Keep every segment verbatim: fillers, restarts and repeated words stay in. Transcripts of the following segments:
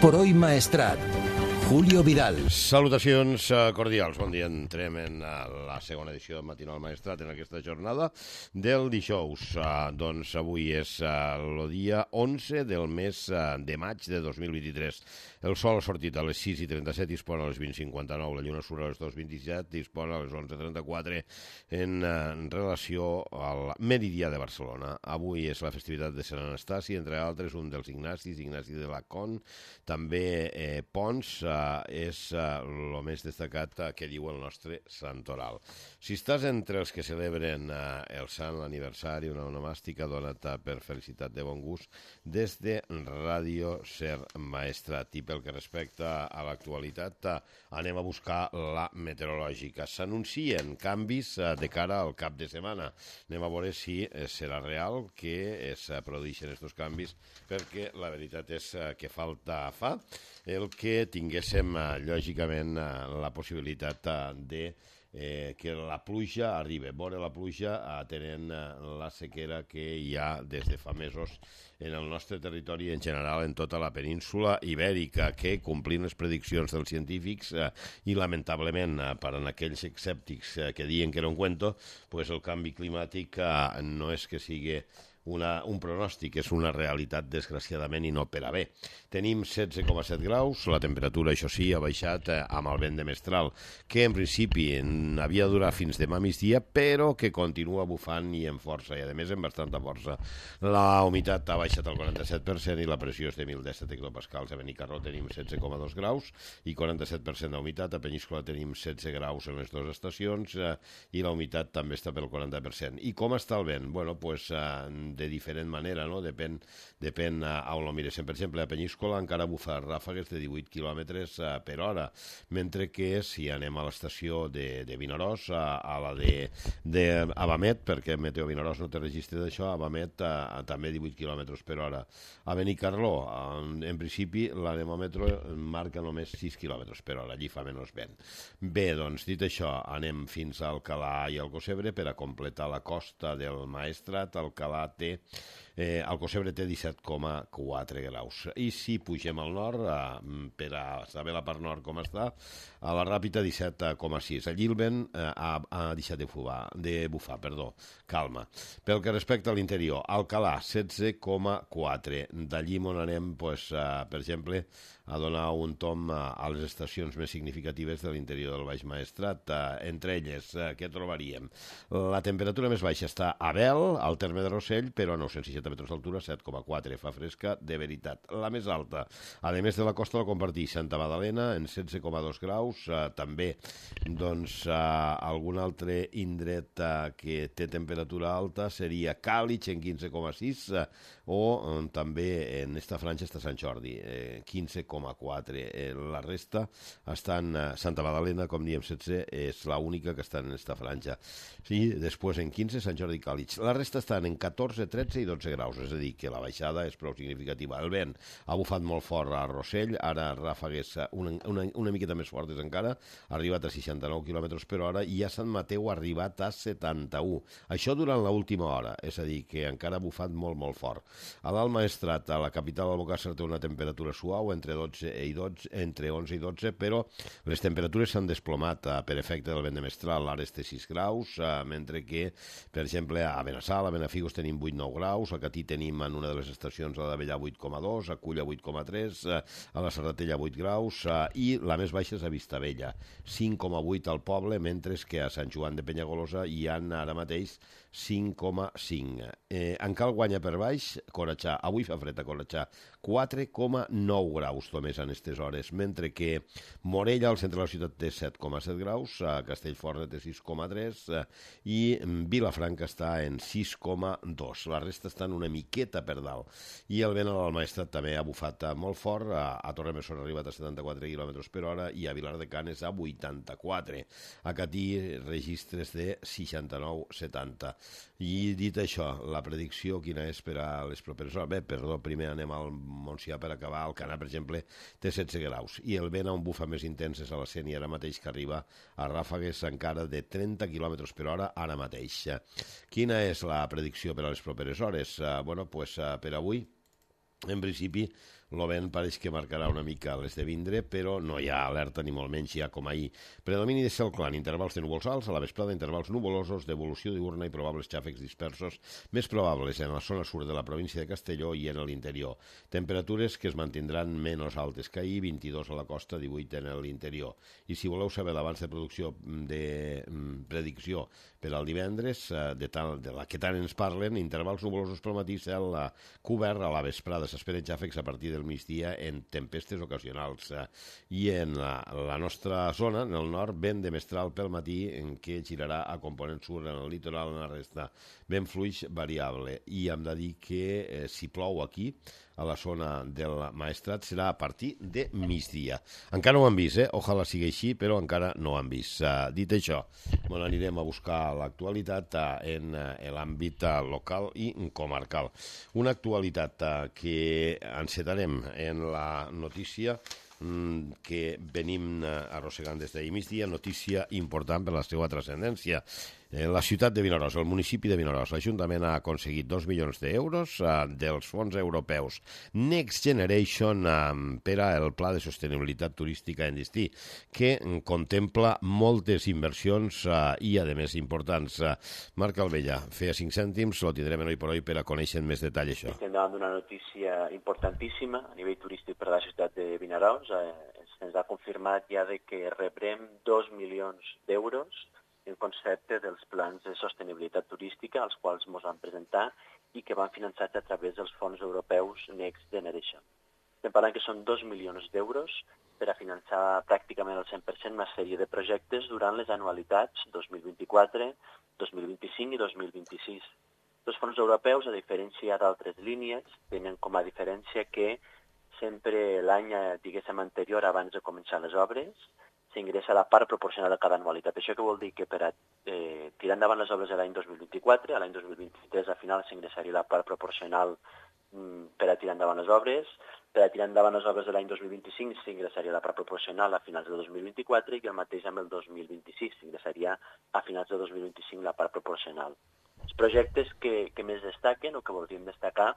por hoy Maestrat. Julio Vidal. Salutacions cordials. Bon dia. Entrem en la segona edició del Matinal Maestrat en aquesta jornada del dijous. Uh, doncs avui és uh, el dia onze del mes uh, de maig de dos mil vint-i-tres. El sol ha sortit a les sis i trenta-set i es pon a les vint i cinquanta-nou. La lluna surt a les dos i vint-i-set i es pon a les onze i trenta-quatre en, uh, en relació al meridià de Barcelona. Avui és la festivitat de Sant Anastasi, entre altres un dels Ignacis, Ignasi de Lacon, també eh, Pons, uh, és el uh, més destacat uh, que diu el nostre santoral. Si estàs entre els que celebren uh, el sant aniversari, una onomàstica, dona't uh, per felicitat de bon gust des de Ràdio Ser Maestrat. I pel que respecta a l'actualitat, uh, anem a buscar la meteorològica. S'anuncien canvis uh, de cara al cap de setmana. Anem a veure si uh, serà real que es uh, produeixen aquests canvis, perquè la veritat és uh, que falta fa el que tinguéssim, eh, lògicament, eh, la possibilitat eh, de eh, que la pluja arribi. Veure la pluja atenent eh, la sequera que hi ha des de fa mesos en el nostre territori, en general en tota la península ibèrica, que, complint les prediccions dels científics eh, i, lamentablement, eh, per a aquells escèptics eh, que diuen que era un cuento, pues el canvi climàtic eh, no és que sigui Una, un pronòstic, és una realitat, desgraciadament, i no per a bé. Tenim setze coma set graus, la temperatura, això sí, ha baixat eh, amb el vent de mestral, que en principi havia de durar fins demà migdia, però que continua bufant i amb força, i a més amb bastanta força. La humitat ha baixat al quaranta-set per cent i la pressió és de mil disset hectopascals. A Benicarló tenim setze coma dos graus i quaranta-set per cent d'humitat. A Peníscola tenim setze graus en les dues estacions eh, i la humitat també està pel quaranta per cent. I com està el vent? Bueno, pues, eh, de diferent manera, no? Depèn, depèn a on ho miréssim. Per exemple, a Peníscola encara bufa ràfegues de divuit quilòmetres per hora, mentre que si anem a l'estació de, de Vinaròs, a, a la de, de Abamet, perquè Meteo Vinaròs no té registre d'això, Abamet a, a, també divuit quilòmetres per hora. A Benicarló, en, en principi, l'anemòmetre marca només sis quilòmetres per hora, allí fa menys vent. Bé, doncs, dit això, anem fins a Alcalà i Alcocebre per a completar la costa del Maestrat. Alcalà té Eh, Alcocebre té disset coma quatre graus. I si pugem al nord, eh, per a saber la part nord com està, a la Ràpita disset coma sis. Allí el vent eh, ha, ha deixat de bufar, de bufar, perdó, calma. Pel que respecta a l'interior, Alcalà setze coma quatre. D'allí on anem, pues, eh, per exemple, a donar un tom a, a les estacions més significatives de l'interior del Baix Maestrat. Eh, entre elles, eh, què trobaríem? La temperatura més baixa està a Bel, al terme de Rossell, però a nou-cents seixanta metres d'altura, set coma quatre, fa fresca de veritat. La més alta, a més de la costa, la comparteix Santa Magdalena en setze coma dos graus, eh, també doncs, eh, algun altre indret eh, que té temperatura alta seria Càlig en quinze coma sis, eh, o eh, també en esta franja està Sant Jordi, eh, quinze coma quatre. Eh, la resta estan, eh, Santa Magdalena, com diem, setze, és l'única que està en esta franja. Sí, després en quinze, Sant Jordi i Càlig. La resta estan en catorze, tretze i dotze graus, és a dir, que la baixada és prou significativa. El vent ha bufat molt fort a Rossell, ara ràfegues una, una, una miqueta més fortes encara, ha arribat a seixanta-nou quilòmetres per hora i a Sant Mateu ha arribat a setanta-u. Això durant l'última hora, és a dir, que encara ha bufat molt, molt fort. A l'Alt Maestrat, a la capital d'Albocàsser, té una temperatura suau, entre, dotze i dotze, entre onze i dotze, però les temperatures s'han desplomat eh, per efecte del vent de mestral. L'Ares té sis graus, eh, mentre que, per exemple, a Benassal, a Benafigos tenim vuit nou graus, a Catí tenim en una de les estacions a d'Avellà vuit coma dos, a Culla vuit coma tres, a la Serratella vuit graus, i la més baixa és a Vistabella, cinc coma vuit al poble, mentre que a Sant Joan de Penyagolosa hi ha ara mateix cinc coma cinc. Eh, en Cal Guanya per baix, Corachà, avui fa fred a Corachà, quatre coma nou graus només en aquestes hores, mentre que Morella, al centre de la ciutat, té set coma set graus, a Castellforta té sis coma tres i Vilafranca està en sis coma dos. La resta estan una miqueta per dalt. I el vent a l'Alt Maestrat també ha bufat molt fort, a, a Torremessor ha arribat a setanta-quatre quilòmetres per hora i a Vilar de Canes a vuitanta-quatre. A Catí registres de seixanta-nou setanta. I dit això, la predicció quina és per a les properes hores? Bé, perdó, primer anem al Montsià per acabar. Alcanar, per exemple, té setze graus i el vent a un bufa més intens és a la Sénia ara mateix, que arriba a ràfegues encara de trenta quilòmetres per hora ara mateix. Quina és la predicció per a les properes hores? Uh, bueno, pues, uh, per avui, en principi, El vent pareix que marcarà una mica l'esdevindre, però no hi ha alerta ni molt menys ja com ahir. Predomini de cel clar, intervals de núvols alts, a la vesprada intervals nuvolosos, d'evolució diurna i probables xàfecs dispersos, més probables en la zona sud de la província de Castelló i en l'interior. Temperatures que es mantindran menys altes que ahir, vint-i-dos a la costa, divuit en l'interior. I si voleu saber l'abans de producció de predicció per al divendres, de, tal, de la que tant ens parlen, intervals nuvolosos pel matí, cel cobert, a la vesprada s'esperen xàfecs a partir del migdia en tempestes ocasionals. I en la, la nostra zona, en el nord, vent de mestral pel matí, en què girarà a component sud en el litoral, en la resta. Vent fluix variable. I hem de dir que eh, si plou aquí, a la zona del Maestrat, serà a partir de migdia. Encara no ho han vist, eh? Ojalà sigui així, però encara no ho han vist. Uh, dit això, bueno, anirem a buscar l'actualitat uh, en uh, l'àmbit uh, local i comarcal. Una actualitat uh, que encetarem en la notícia mm, que venim uh, arrossegant des d'ahir migdia, notícia important per la seva transcendència. En la ciutat de Vinaròs, el municipi de Vinaròs, l'Ajuntament ha aconseguit dos milions d'euros uh, dels fons europeus Next Generation uh, per al Pla de Sostenibilitat Turística en Destí, que uh, contempla moltes inversions uh, i, a més, importants. Uh, Marc Albella, feia cinc cèntims, lo tindrem avui per avui per a conèixer més detall això. Estem davant d'una notícia importantíssima a nivell turístic per a la ciutat de Vinaròs. Eh, se'ns ha confirmat ja de que rebrem dos milions d'euros en concepte dels plans de sostenibilitat turística, als quals ens van presentar i que van finançats a través dels fons europeus Next Generation. Estem parlant que són dos milions d'euros per a finançar pràcticament al cent per cent una sèrie de projectes durant les anualitats dos mil vint-i-quatre, dos mil vint-i-cinc i dos mil vint-i-sis. Els fons europeus, a diferència d'altres línies, tenen com a diferència que sempre l'any, diguéssim, anterior, abans de començar les obres, s'ingressa la part proporcional de cada anualitat. Això que vol dir que per a eh, tirar endavant les obres de l'any dos mil vint-i-quatre, a l'any dos mil vint-i-tres al final s'ingressaria la part proporcional mm, per a tirar endavant les obres, per a tirar endavant les obres de l'any dos mil vint-i-cinc s'ingressaria la part proporcional a finals de dos mil vint-i-quatre i el mateix amb el dos mil vint-i-sis s'ingressaria a finals de dos mil vint-i-cinc la part proporcional. Els projectes que, que més destaquen o que voldríem destacar,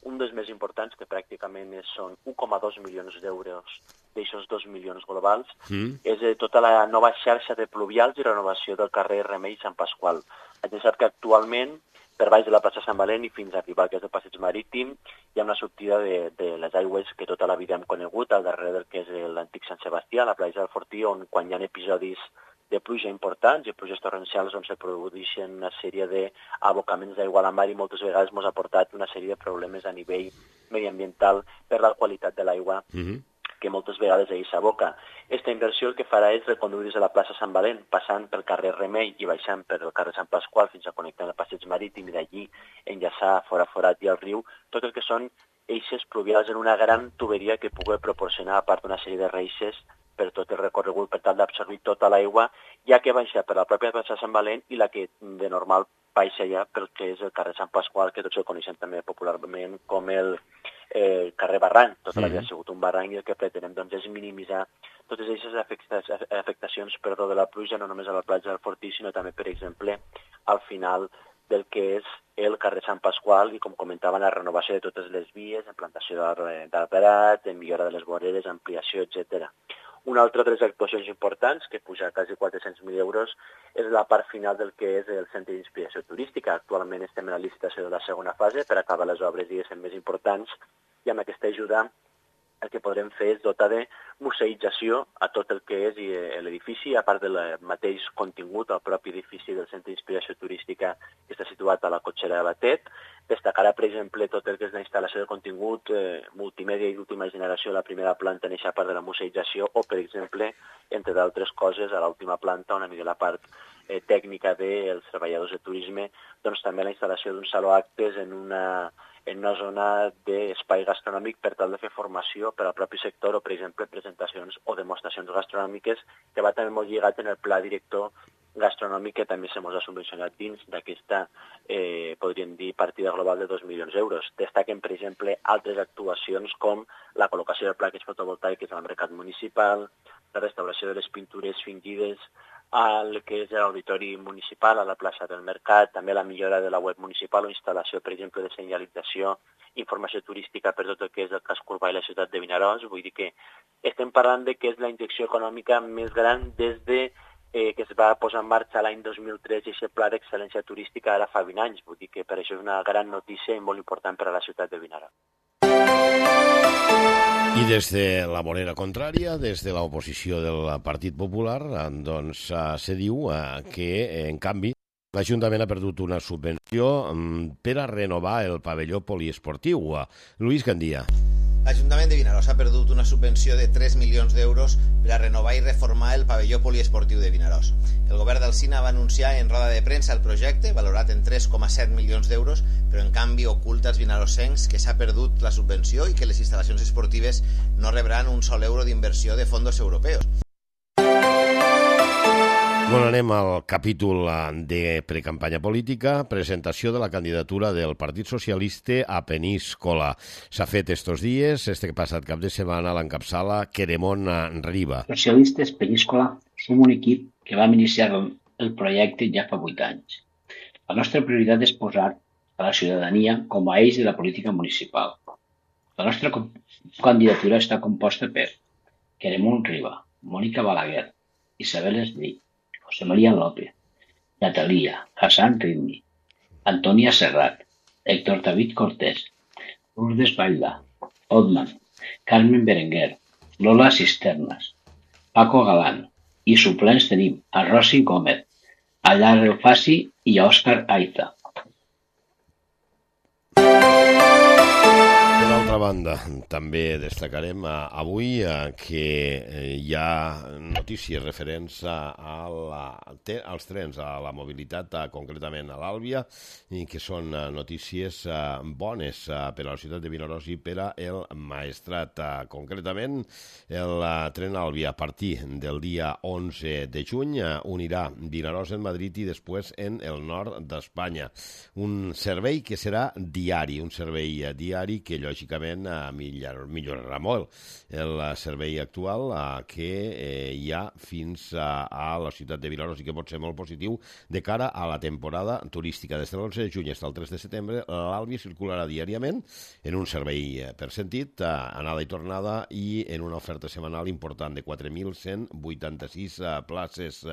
un dels més importants, que pràcticament són un coma dos milions d'euros d'aixòs dos milions globals, mm. és eh, tota la nova xarxa de pluvials i renovació del carrer Remei i Sant Pasqual. Ja sap que actualment, per baix de la plaça Sant Valent i fins a arribar al que és el passeig marítim, hi ha una sortida de, de les aigües que tota la vida hem conegut, al darrere del que és l'antic Sant Sebastià, la platja del Fortí, on quan hi ha episodis de pluja importants i pluges torrencials on se produeixen una sèrie d'abocaments d'aigua a la mar i moltes vegades ens ha portat una sèrie de problemes a nivell mediambiental per la qualitat de l'aigua mm-hmm. que moltes vegades ahir s'aboca. Aquesta inversió el que farà és reconduir des de la plaça Sant Valent, passant pel carrer Remei i baixant per el carrer Sant Pasqual fins a connectar el passeig marítim i d'allí enllaçar fora forat i al riu, tot el que són eixes pluvials en una gran tuberia que pugui proporcionar, a part d'una sèrie de reixes, per tot el recorregut per tal d'absorbir tota l'aigua, ja que baixa per la pròpia plaça Sant Valent i la que de normal baixa ja pel que és el carrer Sant Pasqual, que tots el coneixem també popularment com el eh, carrer Barranc. Tota la vida ha sigut un barranc i el que pretenem doncs, és minimitzar totes aquestes afectacions perdó, de la pluja, no només a la platja del Fortí, sinó també, per exemple, al final del que és el carrer Sant Pasqual i, com comentaven, la renovació de totes les vies, implantació d'arbrat, millora de les voreres, ampliació, etcètera. Una altra de les actuacions importants, que puja a quasi quatre-cents mil euros, és la part final del que és el Centre d'Inspiració Turística. Actualment estem en la licitació de la segona fase per acabar les obres, diguéssim, més importants, i amb aquesta ajuda el que podrem fer és dotar de museïtzació a tot el que és l'edifici, a part del mateix contingut, el propi edifici del Centre d'Inspiració Turística que està situat a la cotxera de Batet. Destacarà, per exemple, tot el que és la instal·lació de contingut eh, multimèdia i d'última generació a la primera planta en aquesta part de la museïtzació o, per exemple, entre d'altres coses, a l'última planta, una mica la part eh, tècnica dels treballadors de turisme, doncs també la instal·lació d'un saló actes en una... en una zona d'espai gastronòmic per tal de fer formació per al propi sector o, per exemple, presentacions o demostracions gastronòmiques, que va també molt lligat en el pla director gastronòmic que també se mos ha subvencionat dins d'aquesta, eh, podríem dir, partida global de dos milions d'euros. Destaquen, per exemple, altres actuacions com la col·locació de plaques fotovoltaiques al mercat municipal, la restauració de les pintures fingides al que és l'auditori municipal, a la plaça del Mercat, també la millora de la web municipal o instal·lació, per exemple, de senyalització, informació turística per tot el que és el casc urbà i la ciutat de Vinaròs. Vull dir que estem parlant de que és la injecció econòmica més gran des de eh, que es va posar en marxa l'any dos mil tres i aquest pla d'excel·lència turística ara fa vint anys. Vull dir que per això és una gran notícia i molt important per a la ciutat de Vinaròs. I des de la vorera contrària, des de l'oposició del Partit Popular, doncs se diu que, en canvi, l'Ajuntament ha perdut una subvenció per a renovar el pavelló poliesportiu. Lluís Gandia. L'Ajuntament de Vinaròs ha perdut una subvenció de tres milions d'euros per a renovar i reformar el pavelló poliesportiu de Vinaròs. El govern del Cine va anunciar en roda de premsa el projecte, valorat en tres coma set milions d'euros, però en canvi oculta als vinarossencs que s'ha perdut la subvenció i que les instal·lacions esportives no rebran un sol euro d'inversió de fons europeus. Bueno, anem al capítol de precampanya política, presentació de la candidatura del Partit Socialista a Peníscola. S'ha fet estos dies, este passat cap de setmana, l'encapçala Queremont Riba. Socialistes Peníscola som un equip que vam iniciar el projecte ja fa vuit anys. La nostra prioritat és posar a la ciutadania com a eix de la política municipal. La nostra candidatura està composta per Queremont Riba, Mònica Balaguer, Isabel Esdrí, José María López, Natalia, Hassan Ridmi, Antonia Serrat, Héctor David Cortés, Lourdes Bailda, Otman, Carmen Berenguer, Lola Cisternas, Paco Galán, i suplents tenim a Rosy Gómez, a Lar Elfasi i a Òscar Aiza. Per altra banda, també destacarem avui que hi ha notícies referents a la, als trens, a la mobilitat, concretament a l'Àlvia, i que són notícies bones per a la ciutat de Vinaròs i per al Maestrat. Concretament, el tren Àlvia a partir del dia onze de juny unirà Vinaròs en Madrid i després en el nord d'Espanya. Un servei que serà diari, un servei diari que lògicament millorarà molt el servei actual que hi ha fins a la ciutat de Vinaròs i que pot ser molt positiu de cara a la temporada turística. Des de l'onze de juny fins al tres de setembre l'Àlvia circularà diàriament en un servei per sentit, anada i tornada, i en una oferta setmanal important de quatre mil cent vuitanta-sis places.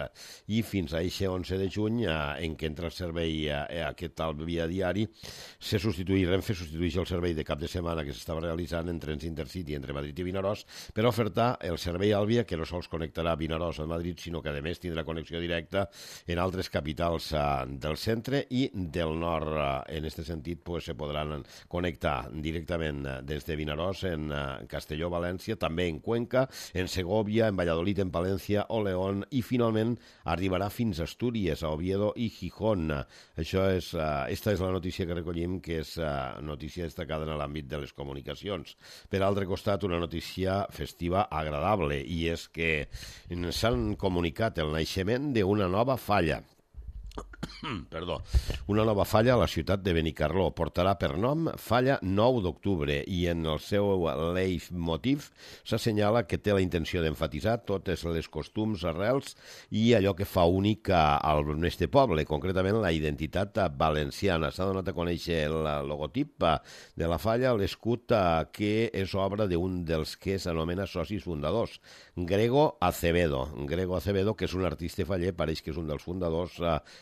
I fins a aquest onze de juny, en què entra el servei aquest Àlvia diari, se substitueix, Renfe substitueix el servei de cap de setmana que s'estava realitzant en trens Intercity entre Madrid i Vinaròs per ofertar el servei Àlvia, que no sols connectarà Vinaròs a Madrid, sinó que a més tindrà connexió directa en altres capitals del centre i del nord. En aquest sentit, se podran connectar directament des de Vinaròs en Castelló, València, també en Cuenca, en Segovia, en Valladolid, en Palència o León, i finalment arribarà fins a Astúries, a Oviedo i Gijón. Això és, esta és la notícia que recollim, que és notícia destacada en l'àmbit de les comunicacions. Per altre costat, una notícia festiva agradable, i és que s'han comunicat el naixement d'una nova falla. Perdó, una nova falla a la ciutat de Benicarló. Portarà per nom Falla nou d'octubre, i en el seu leitmotiv s'assenyala que té la intenció d'emfatitzar totes les costums, arrels i allò que fa únic al nostre poble, concretament la identitat valenciana. S'ha donat a conèixer el logotip de la falla, l'escut, que és obra d'un dels que s'anomena socis fundadors, Grego Acevedo. Grego Acevedo, que és un artista faller, pareix que és un dels fundadors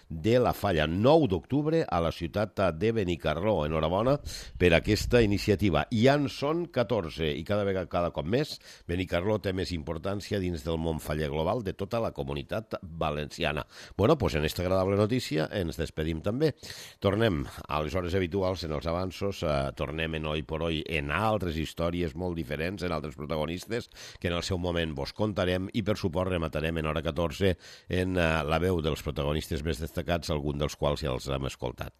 de la falla. nou d'octubre a la ciutat de Benicarló. Enhorabona per aquesta iniciativa. I en són catorze, i cada vegada, cada cop més, Benicarló té més importància dins del món faller global de tota la comunitat valenciana. Bueno, doncs en aquesta agradable notícia ens despedim també. Tornem a les hores habituals en els avanços, eh, tornem en Hoy por Hoy en altres històries molt diferents, en altres protagonistes, que en el seu moment vos contarem, i per suport rematarem en hora catorze en eh, la veu dels protagonistes més destacats, algun dels quals ja els hem escoltat.